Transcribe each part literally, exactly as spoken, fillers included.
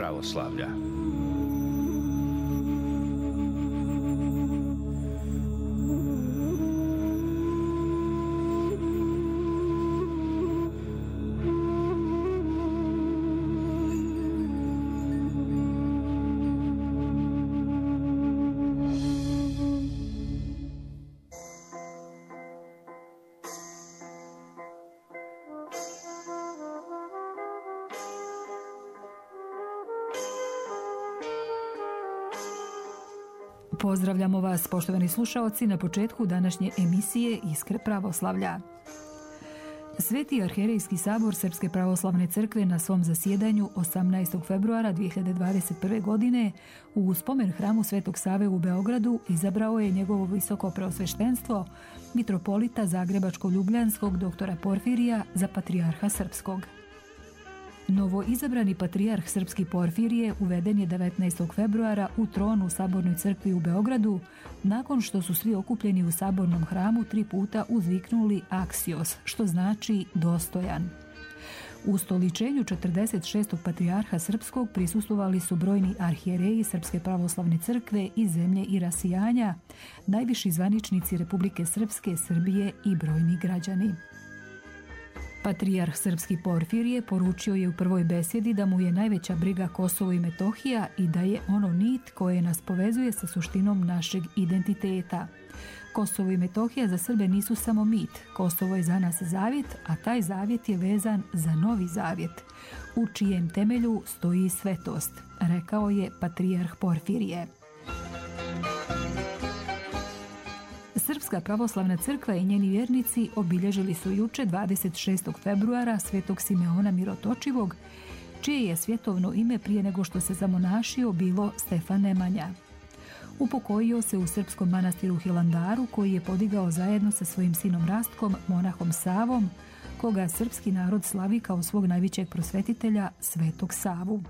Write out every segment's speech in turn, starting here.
pravoslavlja. Pozdravljamo vas, poštovani slušaoci, na početku današnje emisije Iskre pravoslavlja. Sveti arhijerejski sabor Srpske pravoslavne crkve na svom zasjedanju osamnaestog februara dvije hiljade dvadeset prve. godine u spomen hramu Svetog Save u Beogradu izabrao je njegovo visoko preosveštenstvo mitropolita Zagrebačko-ljubljanskog doktora Porfirija za patrijarha srpskog. Novo izabrani patrijarh srpski Porfirije uveden je devetnaestog februara u tron u Sabornoj crkvi u Beogradu, nakon što su svi okupljeni u sabornom hramu tri puta uzviknuli aksios, što znači dostojan. U ustoličenju četrdeset šestog patrijarha srpskog prisustvovali su brojni arhijereji Srpske pravoslavne crkve iz zemlje i rasijanja, najviši zvaničnici Republike Srpske, Srbije i brojni građani. Patrijarh srpski Porfirije poručio je u prvoj besjedi da mu je najveća briga Kosovo i Metohija i da je ono nit koje nas povezuje sa suštinom našeg identiteta. Kosovo i Metohija za Srbe nisu samo mit, Kosovo je za nas zavjet, a taj zavjet je vezan za novi zavjet, u čijem temelju stoji svetost, rekao je patrijarh Porfirije. Srpska pravoslavna crkva i njeni vjernici obilježili su juče dvadeset šestog februara Svetog Simeona Mirotočivog, čije je svjetovno ime prije nego što se zamonašio bilo Stefan Nemanja. Upokojio se u srpskom manastiru Hilandaru, koji je podigao zajedno sa svojim sinom Rastkom, monahom Savom, koga srpski narod slavi kao svog najvećeg prosvetitelja, Svetog Savu.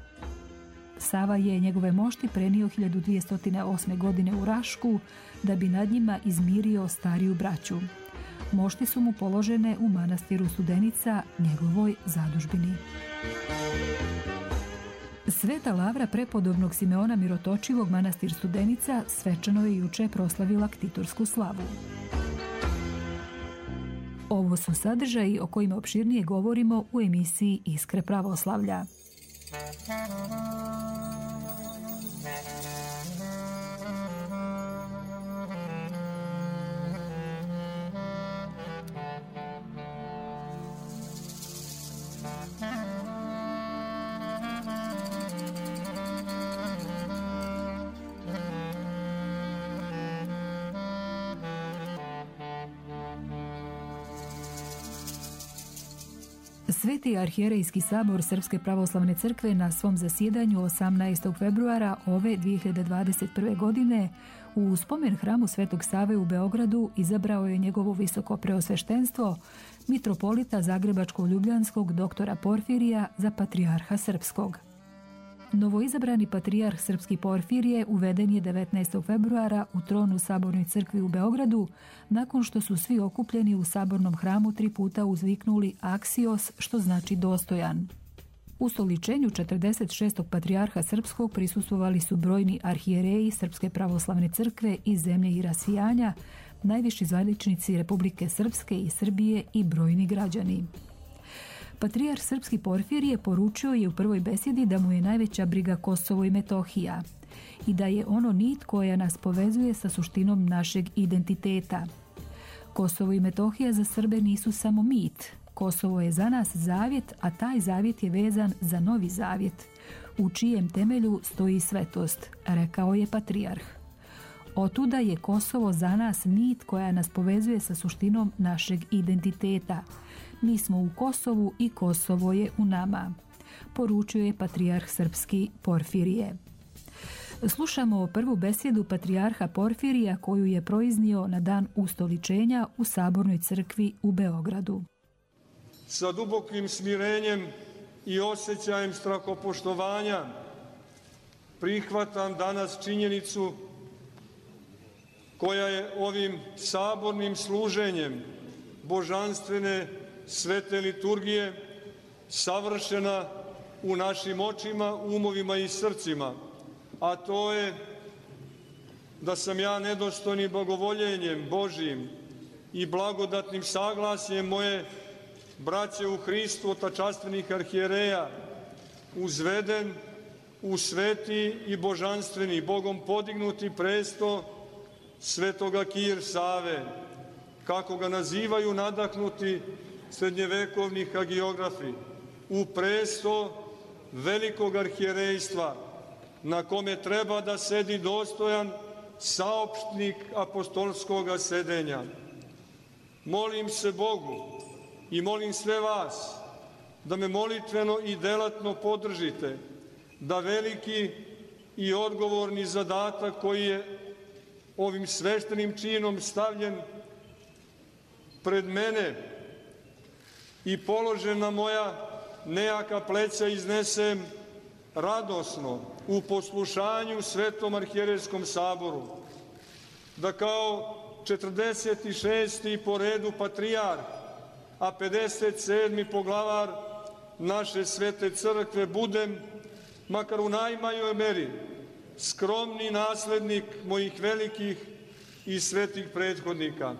Sava je njegove mošti prenio hiljadu dvjesto osme. godine u Rašku da bi nad njima izmirio stariju braću. Mošti su mu položene u manastiru Studenica, njegovoj zadužbini. Sveta lavra prepodobnog Simeona Mirotočivog manastir Studenica svečano je juče proslavila ktitorsku slavu. Ovo su sadržaji o kojima opširnije govorimo u emisiji Iskre pravoslavlja. Sveti arhijerejski sabor Srpske pravoslavne crkve na svom zasjedanju osamnaestog februara ove dvije hiljade dvadeset prve. godine u spomen hramu Svetog Save u Beogradu izabrao je njegovo visoko preosveštenstvo mitropolita Zagrebačko-ljubljanskog doktora Porfirija za patrijarha srpskog. Novoizabrani patrijarh srpski Porfirije uveden je devetnaestog februara u tron u Sabornoj crkvi u Beogradu, nakon što su svi okupljeni u sabornom hramu tri puta uzviknuli aksios, što znači dostojan. U ustoličenju četrdeset šestog patrijarha srpskog prisustvovali su brojni arhijereji Srpske pravoslavne crkve iz zemlje i rasijanja, najviši zvaničnici Republike Srpske i Srbije i brojni građani. Patrijarh srpski Porfirije poručio je u prvoj besjedi da mu je najveća briga Kosovo i Metohija i da je ono nit koja nas povezuje sa suštinom našeg identiteta. Kosovo i Metohija za Srbe nisu samo mit, Kosovo je za nas zavjet, a taj zavjet je vezan za novi zavjet, u čijem temelju stoji svetost, rekao je patrijarh. Otuda je Kosovo za nas nit koja nas povezuje sa suštinom našeg identiteta. Mi smo u Kosovu i Kosovo je u nama, poručio je patrijarh srpski Porfirije. Slušamo prvu besjedu patrijarha Porfirija koju je proiznio na dan ustoličenja u Sabornoj crkvi u Beogradu. Sa dubokim smirenjem i osjećajem strahopoštovanja prihvatam danas činjenicu koja je ovim sabornim služenjem božanstvene svete liturgije savršena u našim očima, umovima i srcima, a to je da sam ja nedostojnim blagovoljenjem Božijim i blagodatnim saglasjem moje braće u Hristu, otačastvenih arhijereja, uzveden u sveti i božanstveni, Bogom podignuti presto svetoga Kir Save, kako ga nazivaju nadahnuti srednjevekovni hagiografi, u presto velikog arhijerejstva, na kome treba da sedi dostojan saopštnik apostolskoga sedenja. Molim se Bogu i molim sve vas da me molitveno i delatno podržite, da veliki i odgovorni zadatak koji je ovim sveštenim činom stavljen pred mene i položen na moja nejaka pleća iznesem radosno u poslušanju Svetom arhijerejskom saboru, da kao četrdeset šesti po redu patrijarh, a pedeset sedmi poglavar naše svete crkve budem, makar u najmanjoj meri, skromni naslednik mojih velikih i svetih prethodnika.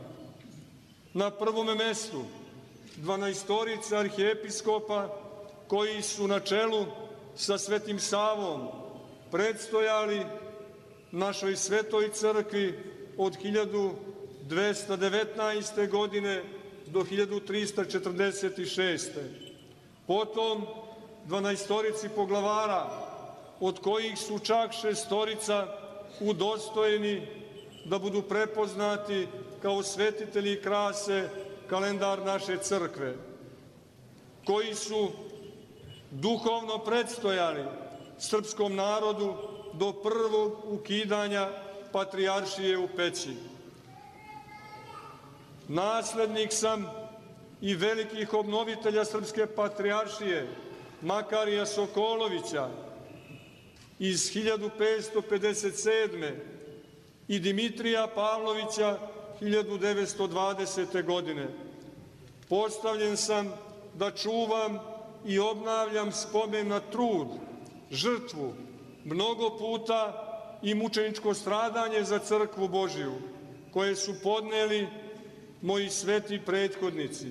Na prvome mestu dvanaestorica arhijepiskopa koji su na čelu sa Svetim Savom predstojali našoj svetoj crkvi od hiljadu dvesta devetnaeste. godine do hiljadu trista četrdeset šeste. Potom dvanaestorici poglavara, od kojih su čak šestorica udostojeni da budu prepoznati kao svetitelji krase kalendar naše crkve, koji su duhovno predstojali srpskom narodu do prvog ukidanja patrijaršije u Peći. Naslednik sam i velikih obnovitelja srpske patrijaršije, Makarija Sokolovića iz hiljadu petsto pedeset sedme. i Dimitrija Pavlovića hiljadu devetsto dvadesete. godine. Postavljen sam da čuvam i obnavljam spomen na trud, žrtvu, mnogo puta i mučeničko stradanje za crkvu Božiju, koje su podneli moji sveti prethodnici.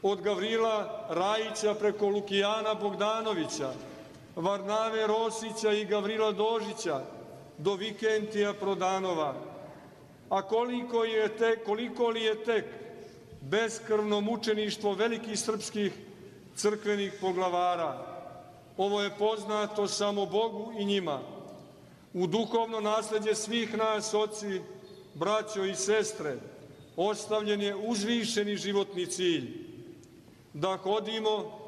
Od Gavrila Rajića preko Lukijana Bogdanovića, Varnave Rosića i Gavrila Dožića do Vikentija Prodanova. A koliko, je tek, koliko li je tek beskrvno mučeništvo velikih srpskih crkvenih poglavara. Ovo je poznato samo Bogu i njima. U duhovno nasledđe svih nas, oci, braćo i sestre, ostavljen je uzvišeni životni cilj, da hodimo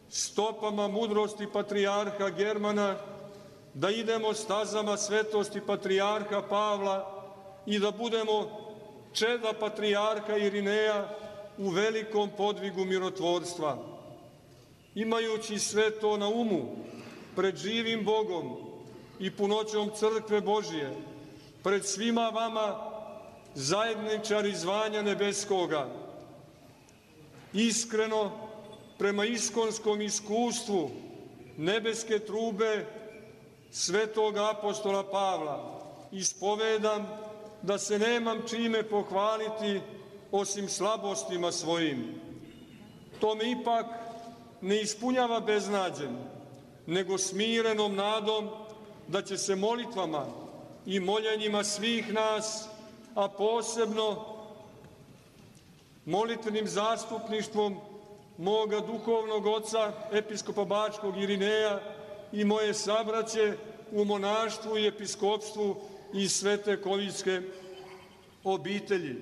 stopama mudrosti patrijarha Germana, da idemo stazama svetosti patrijarha Pavla i da budemo čeda patrijarha Irineja u velikom podvigu mirotvorstva. Imajući sve to na umu, pred živim Bogom i punoćom crkve Božije, pred svima vama, zajedničari zvanja nebeskoga, iskreno, prema iskonskom iskustvu nebeske trube svetog apostola Pavla, ispovedam da se nemam čime pohvaliti osim slabostima svojim. To me ipak ne ispunjava beznađem, nego smirenom nadom da će se molitvama i moljenjima svih nas, a posebno molitvenim zastupništvom moga duhovnog oca, episkopa Bačkog Irineja i moje sabraće u monaštvu i episkopstvu i Svete Kovijske obitelji.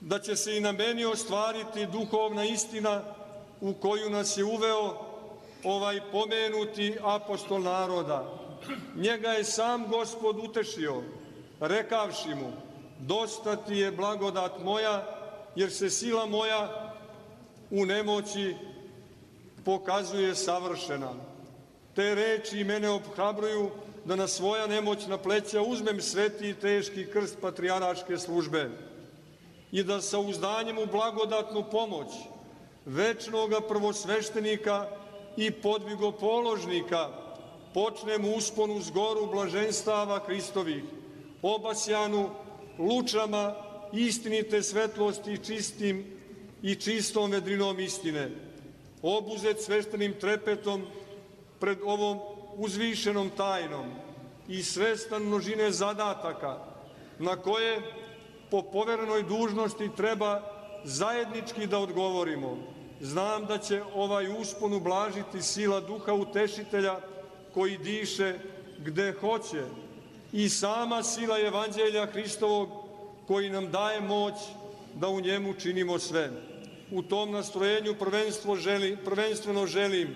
Da će se i na meni ostvariti duhovna istina u koju nas je uveo ovaj pomenuti apostol naroda. Njega je sam Gospod utešio, rekavši mu: dosta ti je blagodat moja, jer se sila moja u nemoći pokazuje savršena. Te reči mene obhrabruju da na svoja nemoćna pleća uzmem sveti i teški krst patrijarhaške službe i da sa uzdanjem u blagodatnu pomoć večnoga prvosveštenika i podvigopoložnika, počnem usponu s goru blaženstava Hristovih, obasjanu lučama istinite svetlosti čistim i čistom vedrinom istine, obuzet sveštenim trepetom pred ovom uzvišenom tajnom i svestan množine zadataka na koje po poverenoj dužnosti treba zajednički da odgovorimo. Znam da će ovaj uspon ublažiti sila Duha Utešitelja koji diše gde hoće i sama sila Evanđelja Hristovog koji nam daje moć da u njemu činimo sve. U tom nastrojenju prvenstvo želim, prvenstveno želim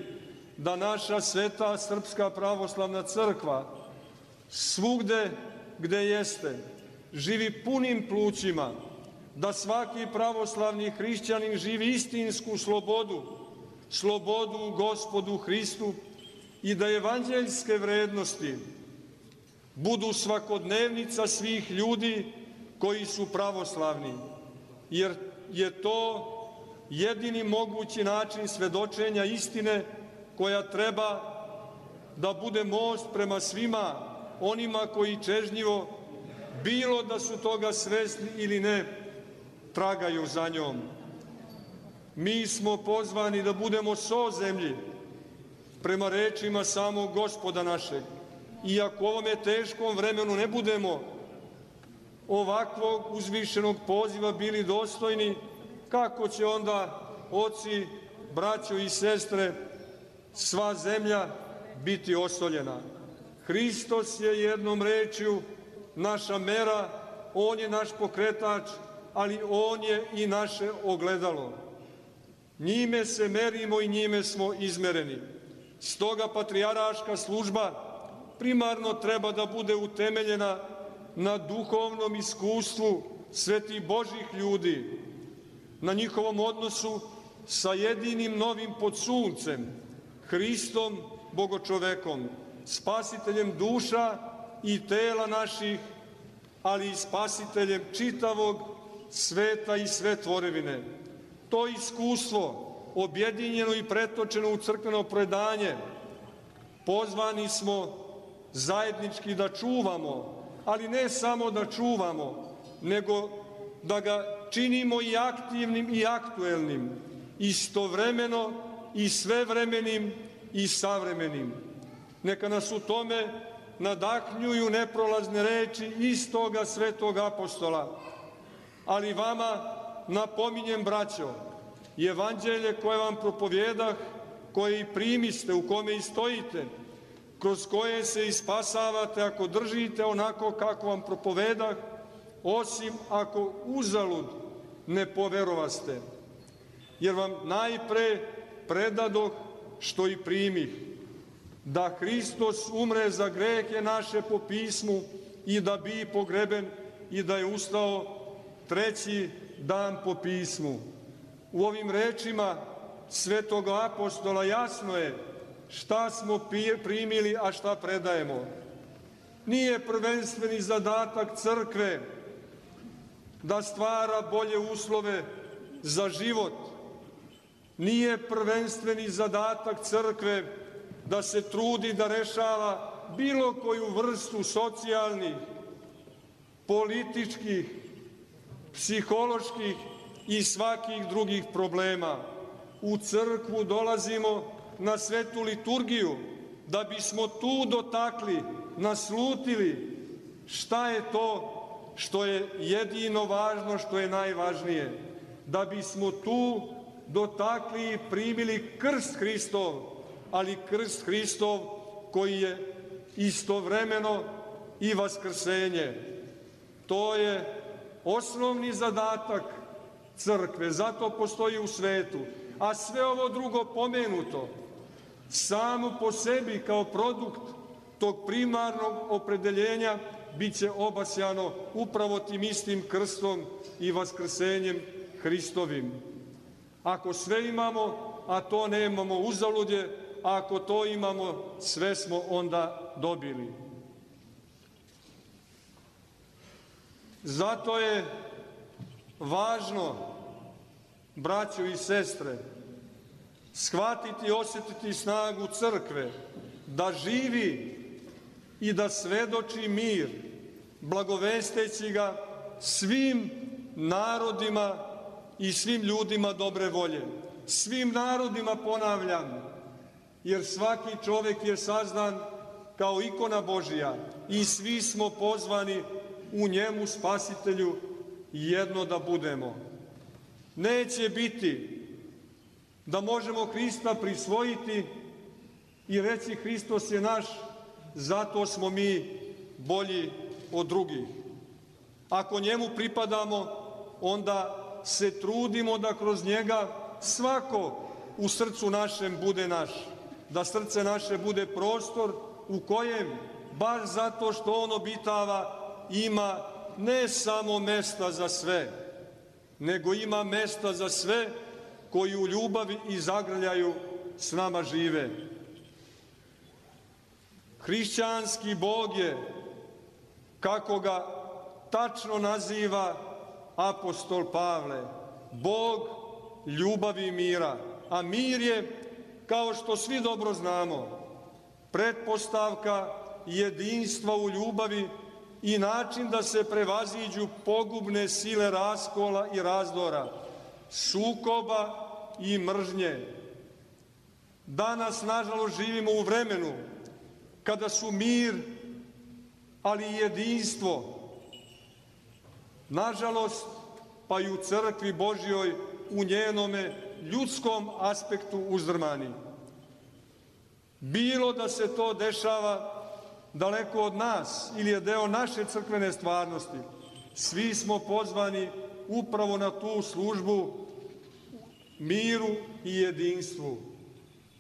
da naša sveta Srpska pravoslavna crkva svugde gde jeste živi punim plućima, da svaki pravoslavni hrišćanin živi istinsku slobodu, slobodu u Gospodu Hristu i da evanđeljske vrednosti budu svakodnevnica svih ljudi koji su pravoslavni, jer je to jedini mogući način svedočenja istine koja treba da bude most prema svima onima koji čežnjivo, bilo da su toga svesni ili ne, tragaju za njom. Mi smo pozvani da budemo so zemlji prema rečima samog Gospoda našeg. I ako u ovome teškom vremenu ne budemo ovakvog uzvišenog poziva bili dostojni, kako će onda oci, braćo i sestre, sva zemlja biti osoljena? Hristos je jednom rečju naša mera, on je naš pokretač, ali on je i naše ogledalo. Njime se merimo i njime smo izmereni. Stoga patrijaraška služba primarno treba da bude utemeljena na duhovnom iskustvu svetih Božih ljudi, na njihovom odnosu sa jedinim novim pod suncem, Hristom Bogočovekom, spasiteljem duša i tela naših, ali i spasiteljem čitavog sveta i sve tvorevine. To iskustvo, objedinjeno i pretočeno u crkveno predanje, pozvani smo zajednički da čuvamo, ali ne samo da čuvamo, nego da ga činimo i aktivnim i aktuelnim, istovremeno i svevremenim i savremenim. Neka nas u tome nadahnjuju neprolazne reči istoga svetog apostola. Ali vama napominjem, braćo, evanđelje koje vam propovjedah, koje i primiste, u kome i stojite, kroz koje se i spasavate ako držite onako kako vam propovedah, osim ako uzalud ne poverovaste. Jer vam najpre predadoh što i primih, da Hristos umre za grehe naše po pismu i da bi pogreben i da je ustao treći dan po pismu. U ovim rečima svetog apostola jasno je šta smo primili, a šta predajemo. Nije prvenstveni zadatak crkve da stvara bolje uslove za život. Nije prvenstveni zadatak crkve da se trudi da rešava bilo koju vrstu socijalnih, političkih, psiholoških i svakih drugih problema. U crkvu dolazimo na svetu liturgiju da bismo tu dotakli, naslutili šta je to što je jedino važno, što je najvažnije. Da bismo tu dotakli i primili krst Hristov, ali krst Hristov koji je istovremeno i vaskrsenje. To je osnovni zadatak crkve, zato postoji u svetu. A sve ovo drugo pomenuto, samo po sebi kao produkt tog primarnog opredeljenja, bit će obasjano upravo tim istim krstom i vaskrsenjem Hristovim. Ako sve imamo, a to nemamo, uzalud je, a ako to imamo, sve smo onda dobili. Zato je važno, braćo i sestre, shvatiti i osjetiti snagu crkve, da živi i da svedoči mir, blagovesteći ga svim narodima i svim ljudima dobre volje. Svim narodima, ponavljam, jer svaki čovjek je sazdan kao ikona Božija i svi smo pozvani u njemu, Spasitelju, jedno da budemo. Neće biti da možemo Hrista prisvojiti i reći Hristos je naš, zato smo mi bolji od drugih. Ako njemu pripadamo, onda se trudimo da kroz njega svako u srcu našem bude naš, da srce naše bude prostor u kojem, baš zato što on obitava, ima ne samo mesta za sve, nego ima mesta za sve koji u ljubavi i zagrljaju s nama žive. Hrišćanski Bog je, kako ga tačno naziva apostol Pavle, Bog ljubavi i mira. A mir je, kao što svi dobro znamo, pretpostavka jedinstva u ljubavi i način da se prevaziđu pogubne sile raskola i razdora, sukoba i mržnje. Danas, nažalost, živimo u vremenu kada su mir, ali i jedinstvo, nažalost, pa i u crkvi Božjoj, u njenome ljudskom aspektu uzdrmani. Bilo da se to dešava daleko od nas ili je deo naše crkvene stvarnosti, svi smo pozvani upravo na tu službu miru i jedinstvu.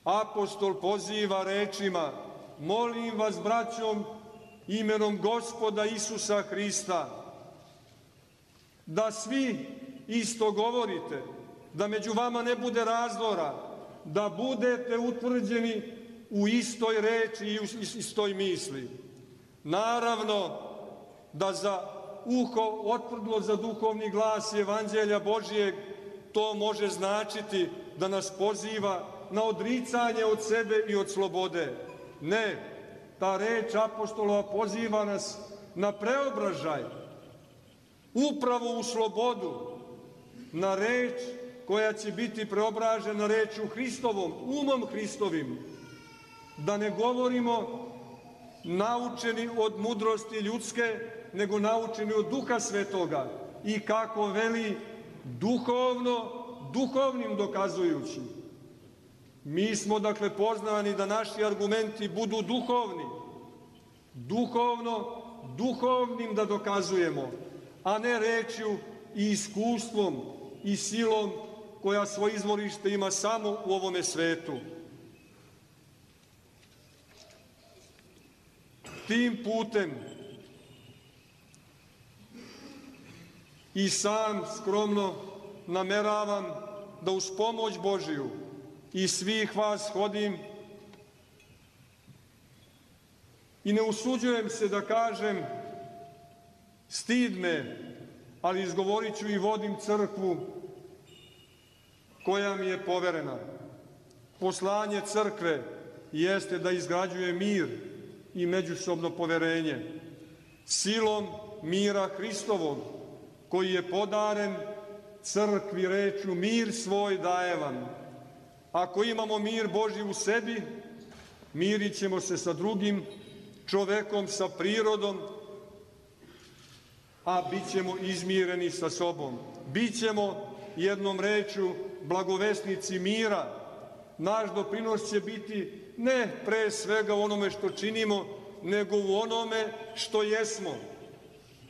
Apostol poziva rečima: molim vas, braćom, imenom Gospoda Isusa Hrista, da svi isto govorite, da među vama ne bude razdora, da budete utvrđeni u istoj reči i u istoj misli. Naravno da za uho otvrdlo za duhovni glas Evanđelja Božijeg to može značiti da nas poziva na odricanje od sebe i od slobode. Ne, ta reč apostolova poziva nas na preobražaj, upravo u slobodu, na reč koja će biti preobražena rečju Hristovom, umom Hristovim, da ne govorimo naučeni od mudrosti ljudske, nego naučeni od Duha Svetoga i, kako veli, duhovno, duhovnim dokazujući. Mi smo, dakle, pozvani da naši argumenti budu duhovni, duhovno, duhovnim da dokazujemo, a ne rečju i iskustvom i silom koja svoje izvorište ima samo u ovome svetu. Tim putem i sam skromno nameravam da uz pomoć Božiju i svih vas hodim i ne usuđujem se da kažem, stid me, ali izgovorit ću i vodim crkvu koja mi je poverena. Poslanje crkve jeste da izgrađuje mir i međusobno poverenje silom mira Hristovog, koji je podaren crkvi rečju: mir svoj daje vam. Ako imamo mir Božji u sebi, mirit ćemo se sa drugim čovekom, sa prirodom, a bit ćemo izmireni sa sobom. Bićemo, jednom rečju, blagovesnici mira. Naš doprinos će biti ne pre svega u onome što činimo, nego u onome što jesmo.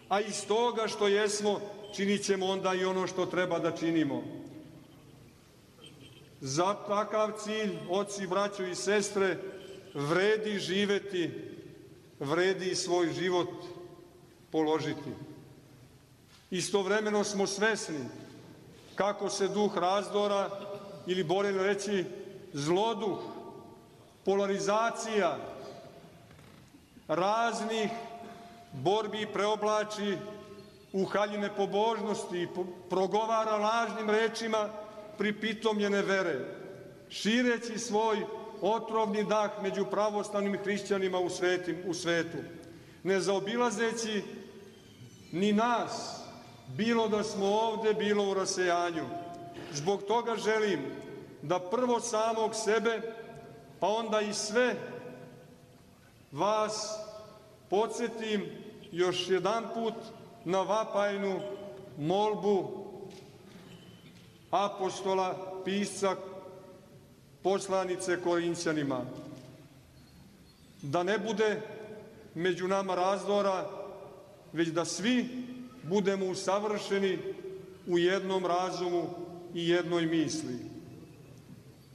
A iz toga što jesmo činit ćemo onda i ono što treba da činimo. Za takav cilj, oci, braćo i sestre, vredi živeti, vredi svoj život položiti. Istovremeno smo svesni kako se duh razdora, ili bolje reći zloduh, polarizacija raznih borbi preoblači u haljine pobožnosti i progovara lažnim rečima pripitomljene vere. šireći svoj otrovni dah među pravoslavnim hrišćanima u, svetim, u svetu, ne zaobilazeći ni nas, bilo da smo ovde, bilo u rasejanju. Zbog toga želim da prvo samog sebe, pa onda i sve vas podsjetim još jedan put na vapajnu molbu apostola, pisca, poslanice Korinćanima. Da ne bude među nama razdora, već da svi budemo usavršeni u jednom razumu i jednoj misli.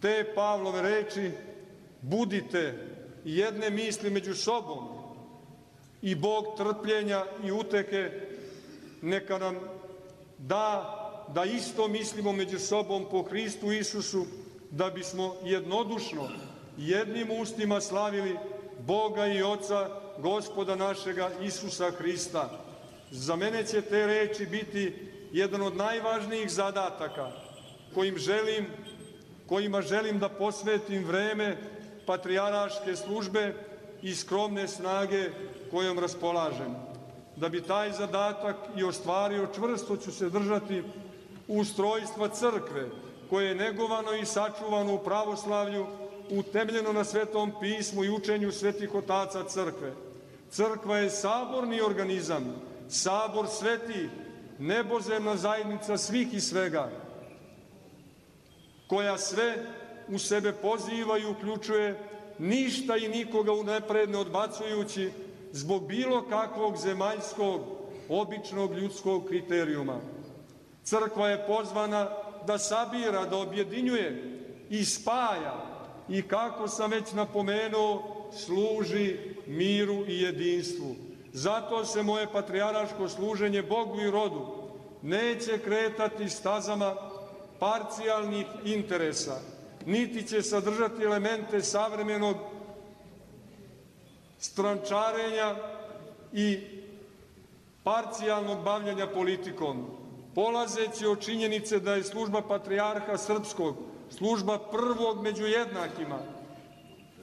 Te Pavlove reči, budite jedne misli među sobom i Bog trpljenja i uteke neka nam da da isto mislimo među sobom po Hristu Isusu, da bismo jednodušno jednim ustima slavili Boga i Oca, Gospoda našega Isusa Hrista. Za mene će te reči biti jedan od najvažnijih zadataka kojim želim, kojima želim da posvetim vreme patrijaraške službe i skromne snage kojom raspolažem. Da bi taj zadatak i ostvario, čvrsto ću se držati ustrojstva crkve, koje je negovano i sačuvano u pravoslavlju, utemeljeno na Svetom pismu i učenju svetih otaca crkve. Crkva je saborni organizam, sabor svetih, nebozemna zajednica svih i svega, koja sve u sebe poziva i uključuje, ništa i nikoga unapred ne odbacujući zbog bilo kakvog zemaljskog, običnog ljudskog kriterijuma. Crkva je pozvana da sabira, da objedinjuje i spaja i, kako sam već napomenuo, služi miru i jedinstvu. Zato se moje patrijaraško služenje Bogu i rodu neće kretati stazama parcijalnih interesa, niti će sadržati elemente savremenog strančarenja i parcijalnog bavljenja politikom, polazeći od činjenice da je služba patrijarha srpskog služba prvog među jednakima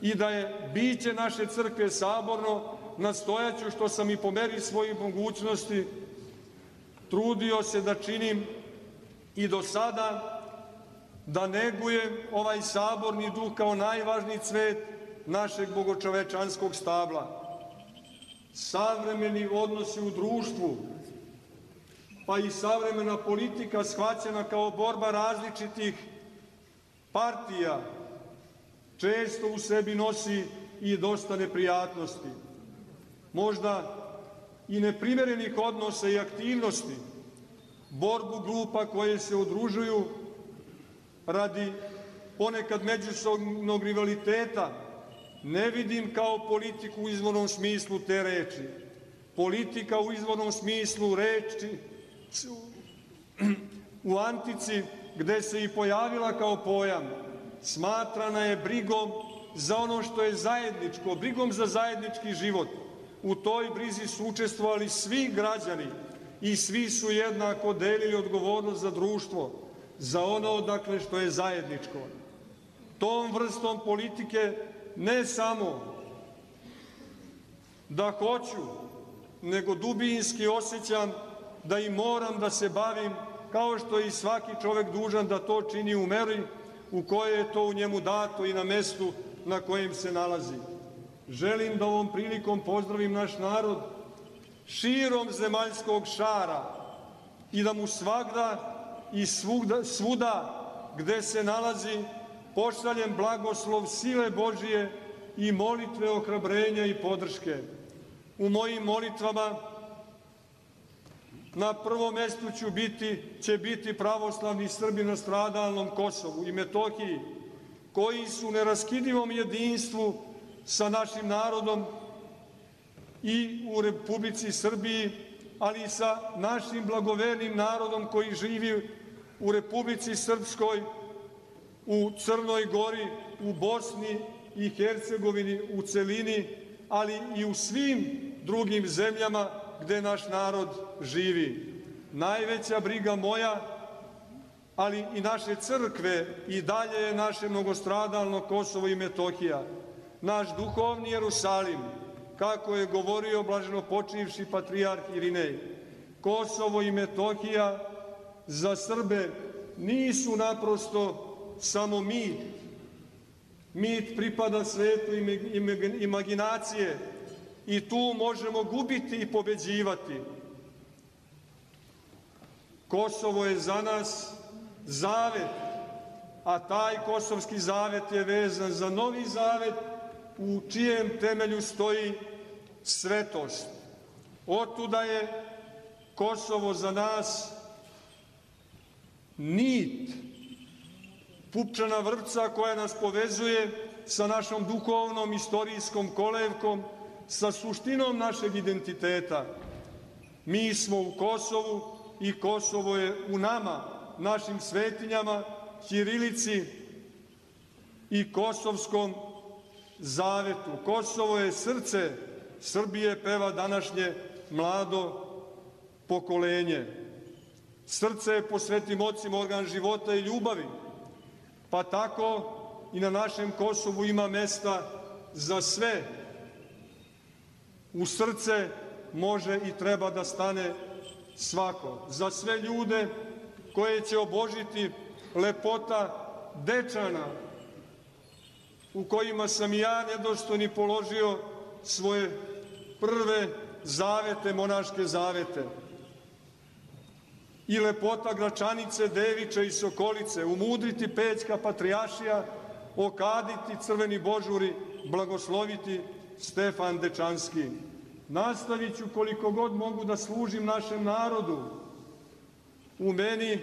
i da je biće naše crkve saborno, nastojaću, što sam i po meri svojih mogućnosti trudio se da činim i do sada, da negujem ovaj saborni duh kao najvažniji cvet našeg bogočovečanskog stabla. Savremeni odnosi u društvu, pa i savremena politika shvaćena kao borba različitih partija, često u sebi nosi i dosta neprijatnosti, možda i neprimerenih odnosa i aktivnosti, borbu grupa koje se udružuju radi ponekad međusobnog rivaliteta, ne vidim kao politiku u izvornom smislu te reči. Politika u izvornom smislu reči u antici, gde se i pojavila kao pojam, smatrana je brigom za ono što je zajedničko, brigom za zajednički život. U toj brizi su učestvovali svi građani i svi su jednako delili odgovornost za društvo, za ono odakle što je zajedničko. Tom vrstom politike ne samo da hoću, nego dubinski osjećam da i moram da se bavim, kao što je i svaki čovek dužan da to čini u meri u kojoj je to u njemu dato i na mestu na kojem se nalazi. Želim da ovom prilikom pozdravim naš narod širom zemaljskog šara i da mu svagda i svugda, svuda gde se nalazi pošaljem blagoslov sile Božije i molitve ohrabrenja i podrške. U mojim molitvama na prvom mestu ću biti, će biti pravoslavni Srbi na stradalnom Kosovu i Metohiji, koji su u neraskidivom jedinstvu sa našim narodom i u Republici Srbiji, ali i sa našim blagovernim narodom koji živi u Republici Srpskoj, u Crnoj Gori, u Bosni i Hercegovini u celini, ali i u svim drugim zemljama gde naš narod živi. Najveća briga moja, ali i naše crkve i dalje je naše mnogostradalno Kosovo i Metohija, naš duhovni Jerusalim, kako je govorio blaženopočivši patrijarh Irinej. Kosovo i Metohija za Srbe nisu naprosto samo mit. Mit pripada svetu imaginacije i tu možemo gubiti i pobeđivati. Kosovo je za nas zavet, a taj kosovski zavet je vezan za novi zavet u čijem temelju stoji svetost. Otuda je Kosovo za nas nit, pupčana vrpca koja nas povezuje sa našom duhovnom, istorijskom kolevkom, sa suštinom našeg identiteta. Mi smo u Kosovu i Kosovo je u nama, našim svetinjama, ćirilici i kosovskom zavetu. Kosovo je srce Srbije, peva današnje mlado pokolenje. Srce je po svetim ocima organ života i ljubavi, pa tako i na našem Kosovu ima mesta za sve. U srce može i treba da stane svako. Za sve ljude koje će obožiti lepota Dečana, u kojima sam i ja nedostojni položio svoje prve zavete, monaške zavete. I lepota Gračanice, Devića i Sokolice, umudriti Pećka patrijaršija, okaditi crveni božuri, blagosloviti Stefan Dečanski. Nastavit ću koliko god mogu da služim našem narodu, u meni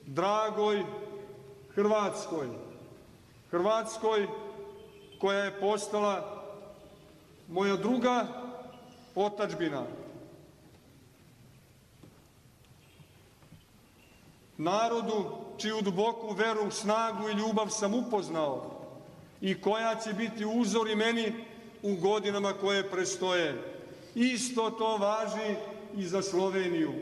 dragoj Hrvatskoj. Hrvatskoj koja je postala moja druga otadžbina. Narodu čiju duboku veru, snagu i ljubav sam upoznao i koja će biti uzor i meni u godinama koje prestoje. Isto to važi i za Sloveniju.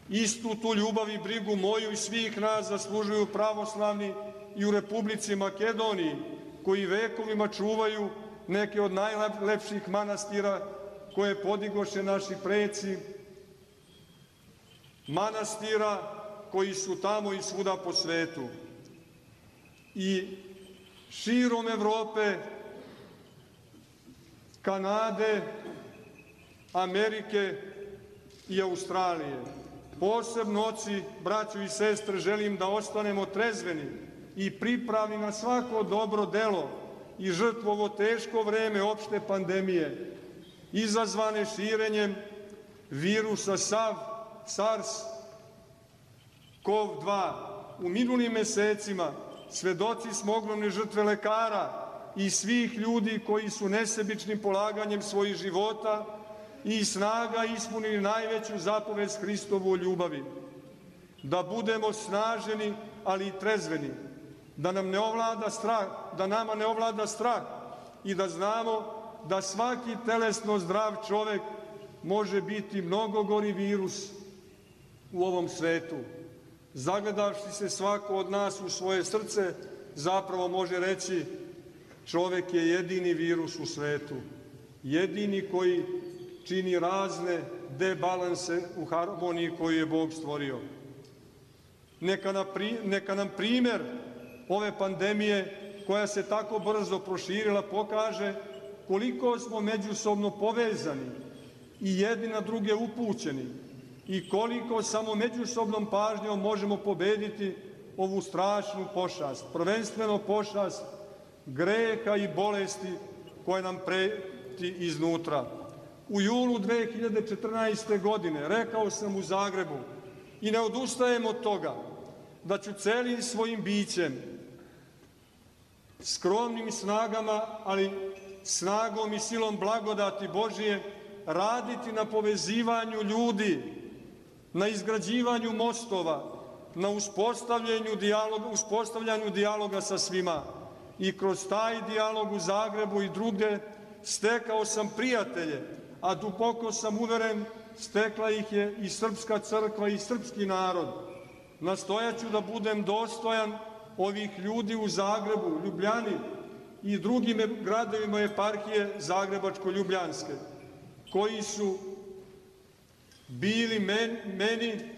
Istu tu ljubav i brigu moju i svih nas zaslužuju pravoslavni i u Republici Makedoniji, koji vekovima čuvaju neke od najlepših manastira koje podigoše naši preci, manastira koji su tamo i svuda po svetu. I širom Evrope, Kanade, Amerike i Australije. Posebno, oci, braćo i sestre, želim da ostanemo trezveni i pripravni na svako dobro delo i žrtvu ovo teško vreme opšte pandemije, izazvane širenjem virusa SARS CoV dva. U minulim mesecima svedoci smo ogromne žrtve lekara i svih ljudi koji su nesebičnim polaganjem svojih života i snaga ispunili najveću zapovest Hristovu o ljubavi. Da budemo snaženi, ali i trezveni, da nam ne ovlada strah, da nama ne ovlada strah i da znamo da svaki telesno zdrav čovek može biti mnogo gori virus u ovom svetu. Zagledavši se svako od nas u svoje srce, zapravo može reći čovek je jedini virus u svetu, jedini koji čini razne debalanse u harmoniji koju je Bog stvorio. Neka, na pri, neka nam primer ove pandemije koja se tako brzo proširila pokaže koliko smo međusobno povezani i jedni na druge upućeni i koliko samo međusobnom pažnjom možemo pobediti ovu strašnu pošast, prvenstveno pošast greha i bolesti koje nam preti iznutra. U julu dve hiljade četrnaeste. godine rekao sam u Zagrebu i ne odustajem od toga da ću celim svojim bićem, skromnim snagama, ali snagom i silom blagodati Božije, raditi na povezivanju ljudi, na izgrađivanju mostova, na uspostavljanju dijaloga, uspostavljanju dijaloga sa svima. I kroz taj dijalog u Zagrebu i drugde stekao sam prijatelje, a duboko sam uveren stekla ih je i srpska crkva i srpski narod. Nastojaću da budem dostojan ovih ljudi u Zagrebu, Ljubljani i drugim gradovima eparhije Zagrebačko-Ljubljanske, koji su bili meni,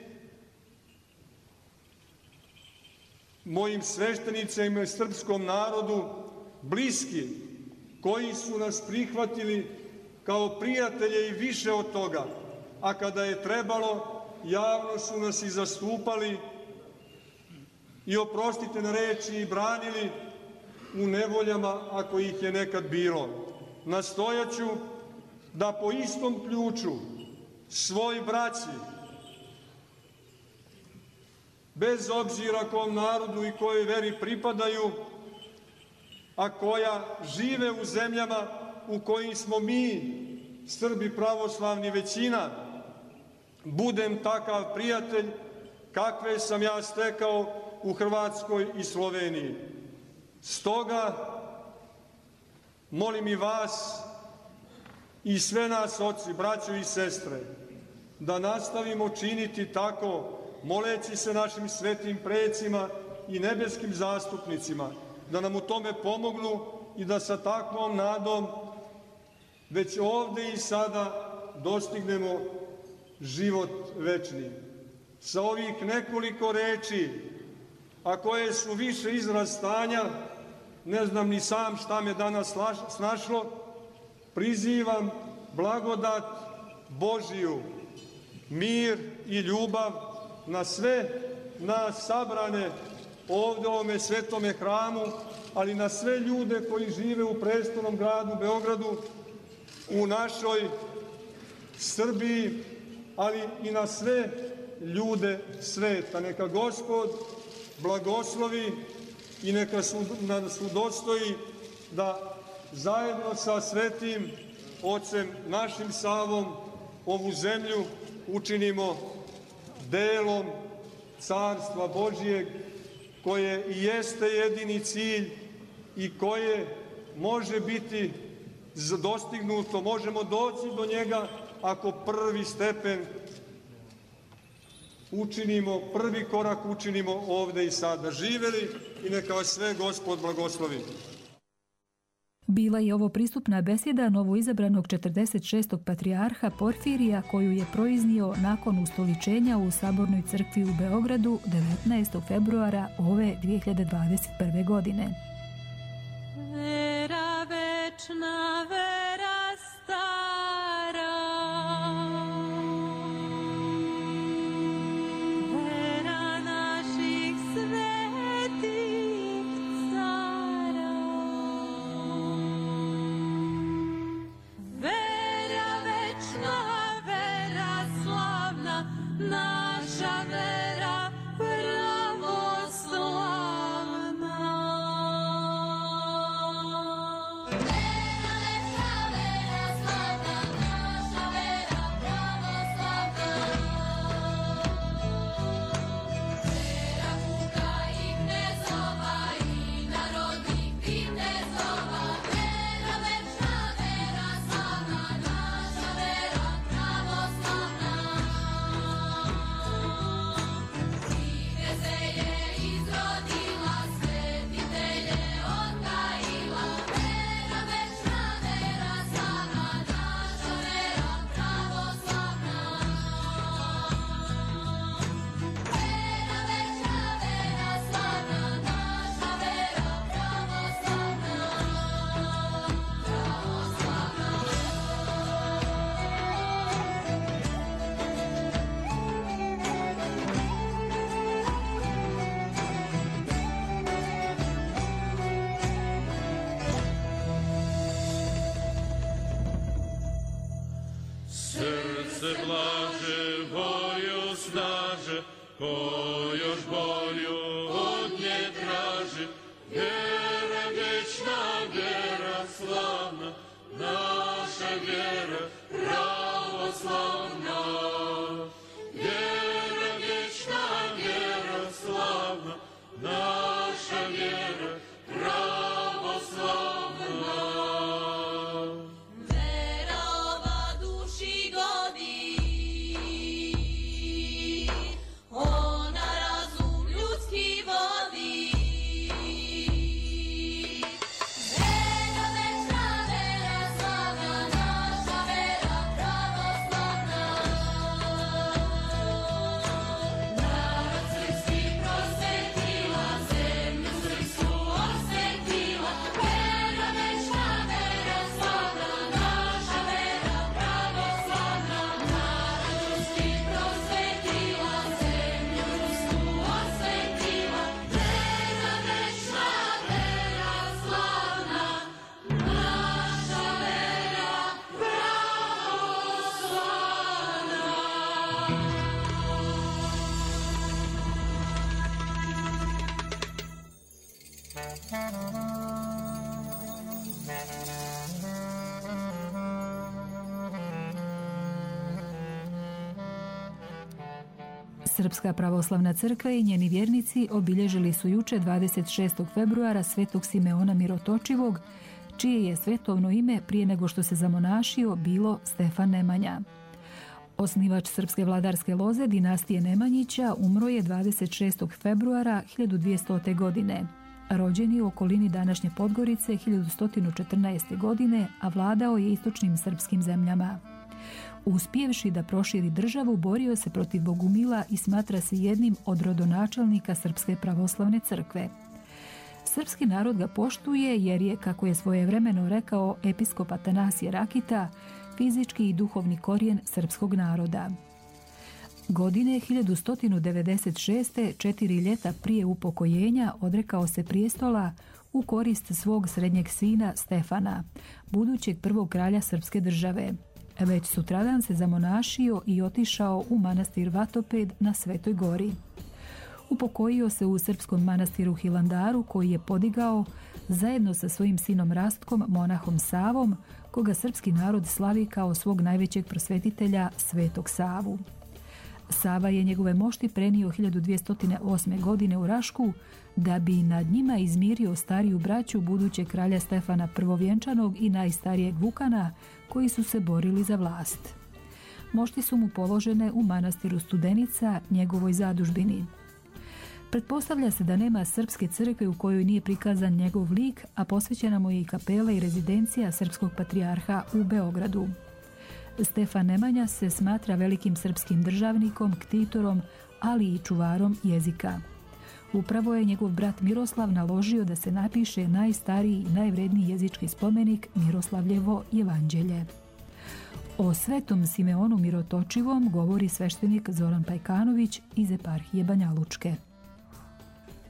mojim sveštenicima i srpskom narodu bliski, koji su nas prihvatili kao prijatelje i više od toga, a kada je trebalo, javno su nas i zastupali i, oprostite na reči, i branili u nevoljama ako ih je nekad bilo. Nastojaću da po istom ključu svoj braći, bez obzira kom narodu i kojoj veri pripadaju, a koja žive u zemljama u kojim smo mi, Srbi pravoslavni, većina, budem takav prijatelj kakve sam ja stekao u Hrvatskoj i Sloveniji. Stoga molim i vas i sve nas, oci, braćo i sestre, da nastavimo činiti tako, moleći se našim svetim precima i nebeskim zastupnicima, da nam u tome pomognu i da sa takvom nadom već ovde i sada dostignemo život večni. Sa ovih nekoliko reči, a koje su više izraz stanja, ne znam ni sam šta me danas snašlo, prizivam blagodat Božiju, mir i ljubav na sve nas sabrane ovde u ovome svetome hramu, ali na sve ljude koji žive u prestolnom gradu Beogradu, u našoj Srbiji, ali i na sve ljude sveta. Neka Gospod blagoslovi i neka nas udostoji da zajedno sa svetim Ocem našim Savom ovu zemlju učinimo delom Carstva Božijeg, koje i jeste jedini cilj i koje može biti dostignuto, možemo doći do njega ako prvi stepen učinimo, prvi korak učinimo ovde i sada. Živeli i neka vas sve Gospod blagoslovi. Bila je ovo pristupna besjeda novoizabranog četrdeset šestog patrijarha Porfirija, koju je proiznio nakon ustoličenja u Sabornoj crkvi u Beogradu devetnaestog februara ove dve hiljade dvadeset prve. godine. Vera večna, vera stara, vera naših svetih cara, vera večna, vera slavna, naša vera pravoslavna. Srce blaže, volju snaže, ko još bolju od nje traži. Vjera večna, vjera slavna, naša vjera pravoslavna. Vjera večna, vjera slavna, naša vjera pravoslavna. Ona razum Srpska pravoslavna crkva i njeni vjernici obilježili su juče dvadeset šestog februara svetog Simeona Mirotočivog, čije je svetovno ime prije nego što se zamonašio bilo Stefan Nemanja. Osnivač srpske vladarske loze dinastije Nemanjića umro je dvadeset šestog februara hiljadu dvjestote. godine. Rođen je u okolini današnje Podgorice hiljadu sto četrnaeste. godine, a vladao je istočnim srpskim zemljama. Uspjevši da proširi državu, borio se protiv Bogumila i smatra se jednim od rodonačelnika Srpske pravoslavne crkve. Srpski narod ga poštuje jer je, kako je svojevremeno rekao episkop Atanasije Rakita, fizički i duhovni korijen srpskog naroda. Godine hiljadu sto devedeset šeste. četiri ljeta prije upokojenja, odrekao se prijestola u korist svog srednjeg sina Stefana, budućeg prvog kralja srpske države. Već sutradan se zamonašio i otišao u manastir Vatoped na Svetoj gori. Upokojio se u srpskom manastiru Hilandaru, koji je podigao zajedno sa svojim sinom Rastkom, monahom Savom, koga srpski narod slavi kao svog najvećeg prosvetitelja, Svetog Savu. Sava je njegove mošti prenio hiljadu dvjesto osme. godine u Rašku, da bi nad njima izmirio stariju braću budućeg kralja Stefana Prvovjenčanog i najstarijeg Vukana, koji su se borili za vlast. Mošti su mu položene u manastiru Studenica, njegovoj zadužbini. Pretpostavlja se da nema srpske crkve u kojoj nije prikazan njegov lik, a posvećena mu je i kapela i rezidencija srpskog patrijarha u Beogradu. Stefan Nemanja se smatra velikim srpskim državnikom, ktitorom, ali i čuvarom jezika. Upravo je njegov brat Miroslav naložio da se napiše najstariji i najvredniji jezički spomenik Miroslavljevo jevanđelje. O svetom Simeonu Mirotočivom govori sveštenik Zoran Pajkanović iz eparhije Banja Lučke.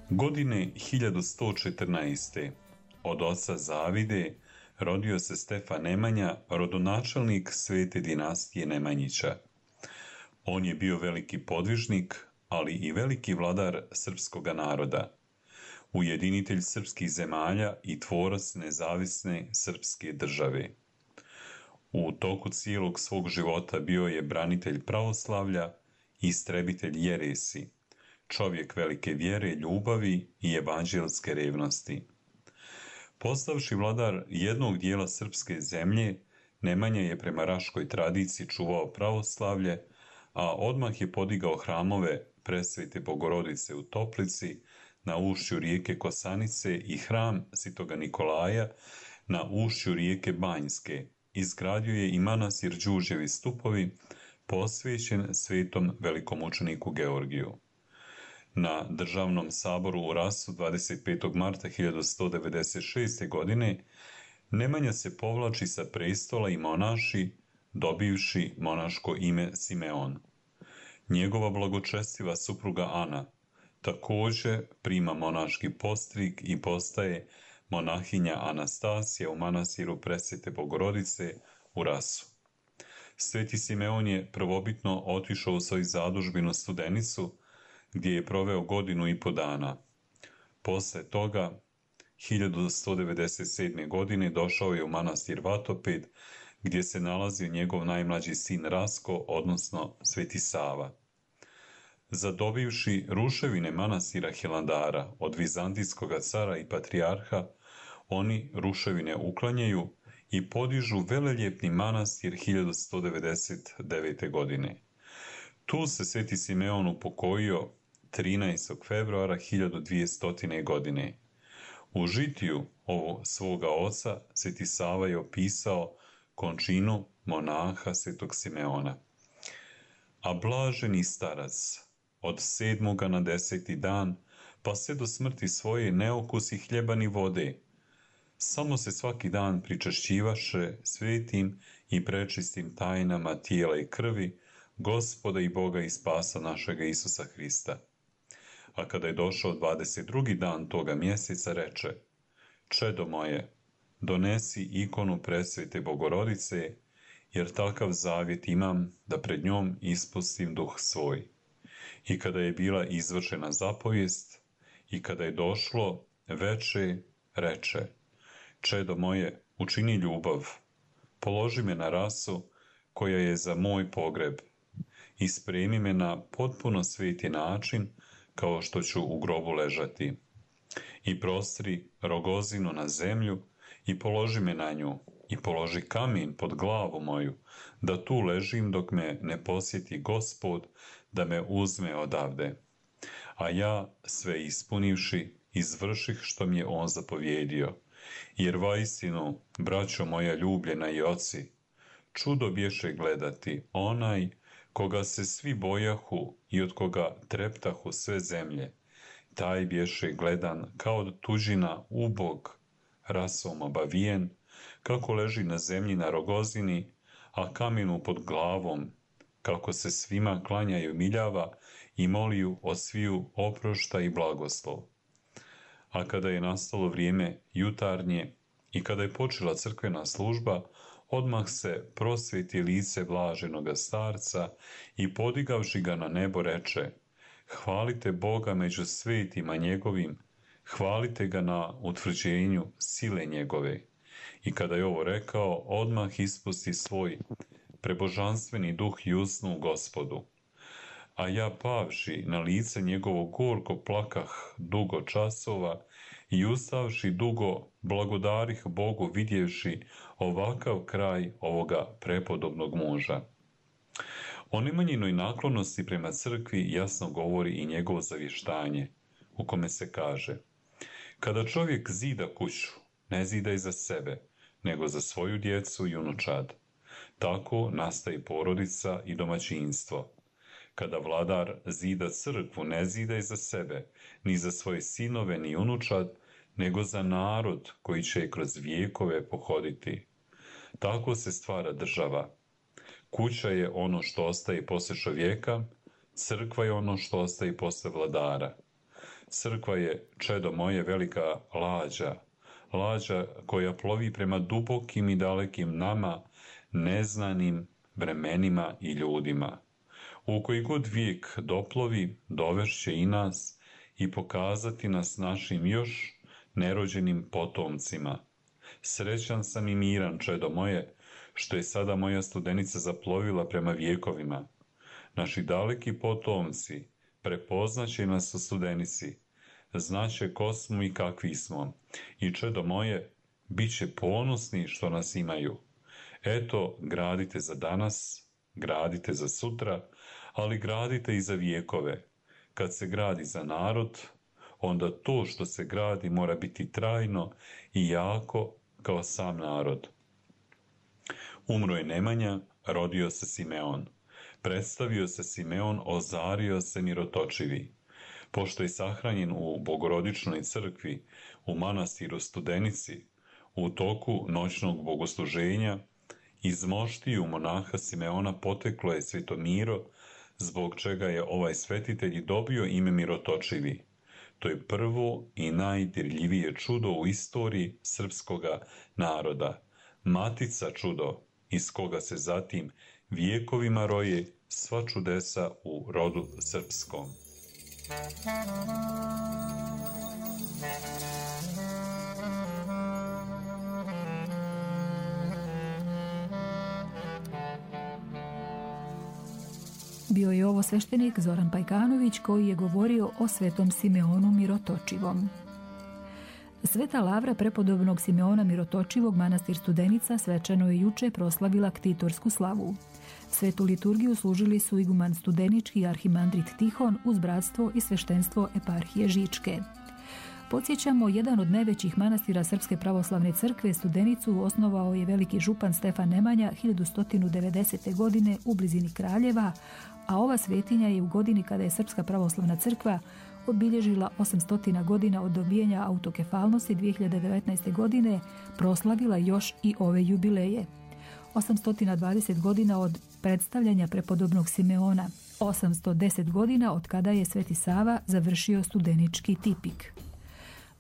Godine hiljadu sto četrnaeste. od oca Zavide rodio se Stefan Nemanja, rodonačelnik svete dinastije Nemanjića. On je bio veliki podvižnik, ali i veliki vladar srpskoga naroda, ujedinitelj srpskih zemalja i tvorac nezavisne srpske države. U toku cijelog svog života bio je branitelj pravoslavlja i istrebitelj jeresi, čovjek velike vjere, ljubavi i evanđelske revnosti. Postavši vladar jednog dijela srpske zemlje, Nemanja je prema raškoj tradiciji čuvao pravoslavlje, a odmah je podigao hramove Presvete Bogorodice u Toplici, na ušću rijeke Kosanice i hram Svetoga Nikolaja na ušću rijeke Banjske. Izgradio je i manastir Đurđevi stupovi, posvećen svetom velikomučeniku Georgiju. Na državnom saboru u Rasu dvadeset petog marta hiljadu sto devedeset šeste. godine Nemanja se povlači sa prestola i monaši, dobivši monaško ime Simeon. Njegova blagočestiva supruga Ana također prima monaški postrig i postaje monahinja Anastasija u manastiru Presvete Bogorodice u Rasu. Sveti Simeon je prvobitno otišao u svoju zadužbinu Studenicu, gdje je proveo godinu i po dana. Posle toga, hiljadu sto devedeset sedme. godine došao je u manastir Vatoped, gdje se nalazio njegov najmlađi sin Rasko, odnosno Sveti Sava. Zadobivši ruševine manastira Hilandara od vizantijskog cara i patrijarha, oni ruševine uklanjaju i podižu veleljepni manastir hiljadu sto devedeset devete. godine. Tu se Sveti Simeon upokojio trinaestog februara hiljadu dvjestote. godine. U žitiju ovog svoga oca Sveti Sava je opisao končinu monaha Svetog Simeona. A blaženi starac od sedmoga na deseti dan, pa sve do smrti svoje ne okusi hljeba ni vode. Samo se svaki dan pričašćivaše svetim i prečistim tajnama tijela i krvi Gospoda i Boga i spasa našega Isusa Hrista. A kada je došao dvadeset drugi dan toga mjeseca, reče: Čedo moje, donesi ikonu Presvete Bogorodice, jer takav zavjet imam da pred njom ispustim duh svoj. I kada je bila izvršena zapovijest i kada je došlo veče, reče: Čedo moje, učini ljubav, položi me na rasu koja je za moj pogreb i spremi me na potpuno sveti način, kao što ću u grobu ležati. I prostri rogozinu na zemlju i položi me na nju, i položi kamen pod glavu moju, da tu ležim dok me ne posjeti Gospod, da me uzme odavde. A ja, sve ispunivši, izvrših što mi je on zapovjedio. Jer vaistinu, braćo moja ljubljena i oci, čudo bješe gledati onaj koga se svi bojahu i od koga treptahu sve zemlje, taj bješe gledan kao tuđina ubog, rasom obavijen, kako leži na zemlji na rogozini, a kamenu pod glavom, kako se svima klanja i umiljava i moliju od sviju oprošta i blagoslov. A kada je nastalo vrijeme jutarnje i kada je počela crkvena služba, odmah se prosvjeti lice blaženoga starca i podigavši ga na nebo reče: hvalite Boga među svetima njegovim, hvalite ga na utvrđenju sile njegove. I kada je ovo rekao, odmah ispusti svoj prebožanstveni duh i usnu Gospodu. A ja pavši na lice njegovo gorko plakah dugo časova i ustavši dugo blagodarih Bogu vidjevši ovakav kraj ovoga prepodobnog muža. O nemanjinoj naklonosti prema crkvi jasno govori i njegovo zavještanje, u kome se kaže: kada čovjek zida kuću, ne zida i za sebe, nego za svoju djecu i unučad. Tako nastaje porodica i domaćinstvo. Kada vladar zida crkvu, ne zida i za sebe, ni za svoje sinove, ni unučad, nego za narod koji će je kroz vijekove pohoditi. Tako se stvara država. Kuća je ono što ostaje posle čovjeka, crkva je ono što ostaje posle vladara. Crkva je, čedo moje, velika lađa, lađa koja plovi prema dubokim i dalekim nama, neznanim vremenima i ljudima. U koji god vijek doplovi, dovešće i nas i pokazati nas našim još nerođenim potomcima. Srećan sam i miran, čedo moje, što je sada moja studenica zaplovila prema vijekovima. Naši daleki potomci prepoznaće nas u studenici, znaće ko smo i kakvi smo, i čedo moje, bit će ponosni što nas imaju. Eto, gradite za danas, gradite za sutra, ali gradite i za vijekove. Kad se gradi za narod, onda to što se gradi mora biti trajno i jako kao sam narod. Umro je Nemanja, rodio se Simeon. Predstavio se Simeon, ozario se mirotočivi. Pošto je sahranjen u Bogorodičnoj crkvi, u manastiru Studenici, u toku noćnog bogosluženja, iz moštiju monaha Simeona poteklo je Svetomiro, zbog čega je ovaj svetitelj dobio ime mirotočivi. To je prvo i najdirljivije čudo u istoriji srpskoga naroda. Matica čudo, iz koga se zatim vijekovima roje sva čudesa u rodu srpskom. Bio je ovo sveštenik Zoran Pajkanović koji je govorio o svetom Simeonu Mirotočivom. Sveta lavra prepodobnog Simeona Mirotočivog manastir Studenica svečano je juče proslavila ktitorsku slavu. Svetu liturgiju služili su iguman Studenički i arhimandrit Tihon uz bratstvo i sveštenstvo eparhije Žičke. Podsjećamo, jedan od najvećih manastira Srpske pravoslavne crkve, Studenicu, osnovao je veliki župan Stefan Nemanja hiljadu sto devedesete. godine u blizini Kraljeva, a ova svetinja je u godini kada je Srpska pravoslavna crkva obilježila osamsto godina od dobijanja autokefalnosti dvije hiljade devetnaeste. godine, proslavila još i ove jubileje. osamsto dvadeset godina od predstavljanja prepodobnog Simeona, osamsto deset godina od kada je Sveti Sava završio studenički tipik.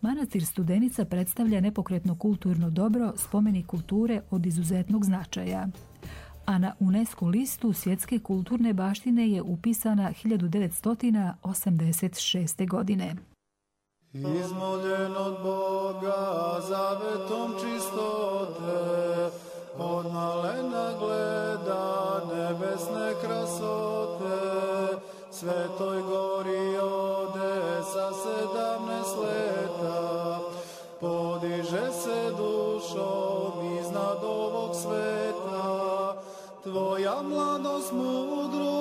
Manastir Studenica predstavlja nepokretno kulturno dobro, spomenik kulture od izuzetnog značaja. A na UNESCO listu svjetske kulturne baštine je upisana hiljadu devetsto osamdeset šeste. godine. Izmoljen od Boga zavetom čistote, od malena gleda nebesne krasote. Svetoj gori ode sa sedamnaest leta, podiže se dušom iznad ovog sveta. Tvoja mladost mudru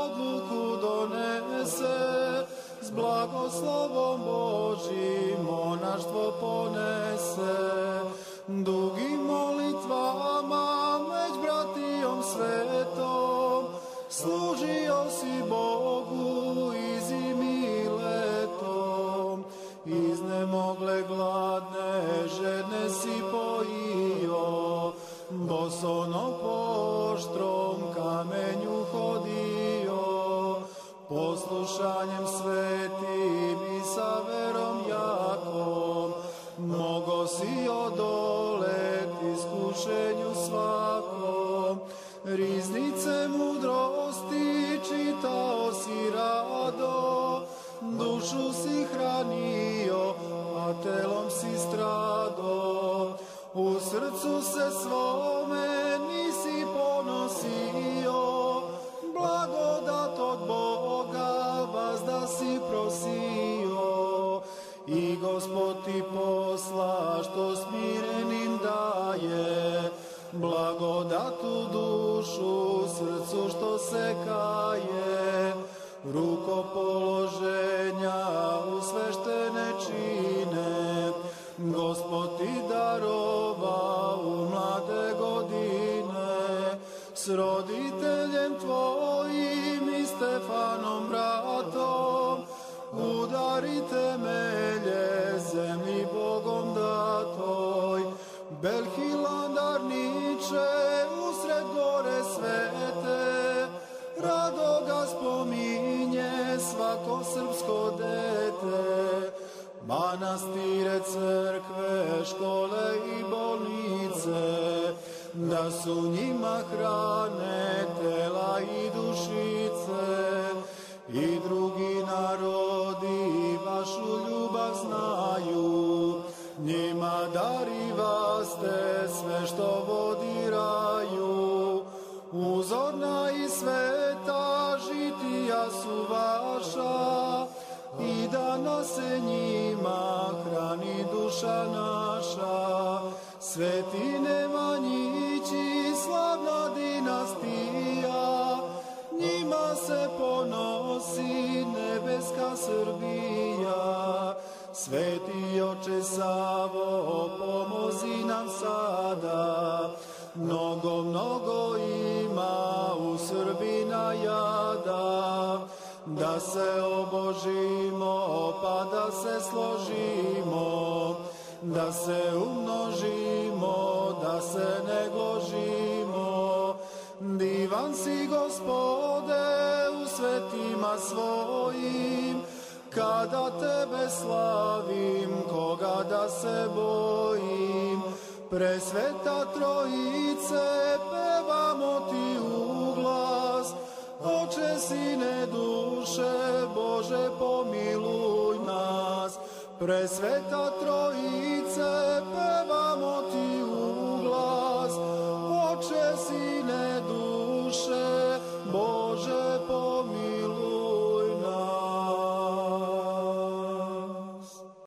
odluku donese, s blagoslovom Božim monaštvo ponese. Dugim molitvama među bratijom svetom, služio si Bogu i zimi i letom. Iznemogle gladne žedne si pojio, bosono po oštrom kamenju hodio. Poslušanjem svetim i sa verom jakom, mogo si odoleti iskušenju svakom. Riznice mudrosti čitao si rado, dušu si hranio, a telom si strado. U srcu se svome nisi ponosio, blagodat od Boga vazda si prosio. I Gospod ti posla što smirenim daje, blagodatu dušu srcu što se kaje. Rukopoloženja u sveštene čine, Gospod ti darova u mlade godine. S roditeljem tvojim i Stefanom bratom, udari temelje zemlji Bogom datoj. Belhilandarniče usred gore svete, rado ga spominje svako srpsko dete. Manastire, crkve, škole i bolnice, da su njima hrane tela i dušice. I drugi narodi vašu ljubav znaju, njima darivaste sve što vodi raju. Uzorna i sveta žitija su vaša, i danas se njima hrani duša naša. Sveti Nemanjići, slavna dinastija, njima se ponosi nebeska Srbija. Sveti oče Savo, pomozi nam sada, mnogo, mnogo ima u Srbina jada. Da se obožimo, pa da se složimo, da se umnožimo, da se ne gložimo. Divan si, Gospode, u svetima svojim, kada tebe slavim, koga da se bojim. Presveta Trojice, pevamo ti u glas, Oče, Sine, duše, Bože, pomiluj nas. Presveta Trojice, pevamo ti u glas, Oče, Sine,